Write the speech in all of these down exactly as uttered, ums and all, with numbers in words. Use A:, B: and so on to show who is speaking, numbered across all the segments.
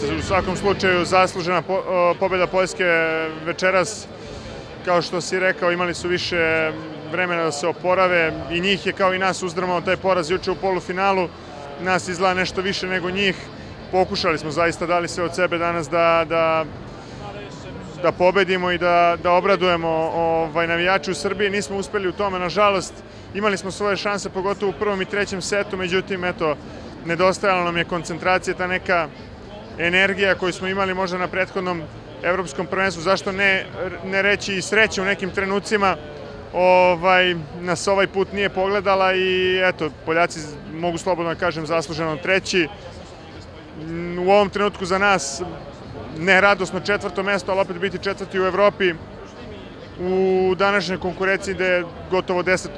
A: jeste u svakom slučaju zaslužena pobjeda Poljske večeras. Kao što si rekao, imali su više vremena da se oporave i njih je kao i nas uzdrmao taj poraz juče u polufinalu. Nas izgleda nešto više nego njih. Pokušali smo zaista, dali sve od sebe danas da, da, da pobedimo i da, da obradujemo ovaj, navijače u Srbiji. Nismo uspeli u tome, nažalost. Imali smo svoje šanse, pogotovo u prvom i trećem setu, međutim, eto, nedostajala nam je koncentracija, ta neka energija koju smo imali možda na prethodnom evropskom prvenstvu, zašto ne, ne reći i sreće u nekim trenucima, ovaj, nas ovaj put nije pogledala i eto, Poljaci, mogu slobodno da kažem, zasluženo treći. U ovom trenutku za nas ne radosno četvrto mesto, ali opet biti četvrti u Evropi u današnjoj konkurenciji gde je gotovo deset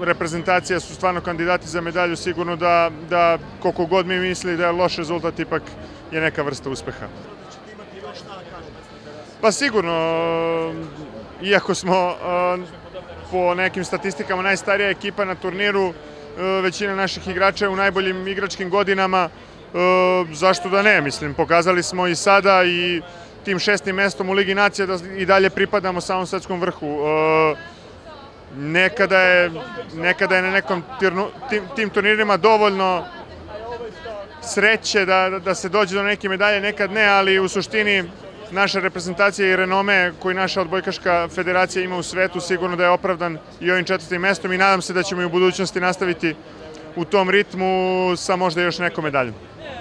A: reprezentacija su stvarno kandidati za medalju, sigurno da, da koliko god mi misli da je loš rezultat, ipak je neka vrsta uspeha. Pa sigurno, iako smo po nekim statistikama najstarija ekipa na turniru, većina naših igrača je u najboljim igračkim godinama, zašto da ne, mislim, pokazali smo i sada i tim šestim mestom u Ligi nacija da i dalje pripadamo samom svetskom vrhu. Nekada je, nekada je na nekom tim, tim turnirima dovoljno sreće da, da se dođe do neke medalje, nekad ne, ali u suštini naša reprezentacija i renome koji naša odbojkaška federacija ima u svetu sigurno da je opravdan i ovim četvrtim mestom i nadam se da ćemo i u budućnosti nastaviti u tom ritmu sa možda još nekom medaljom.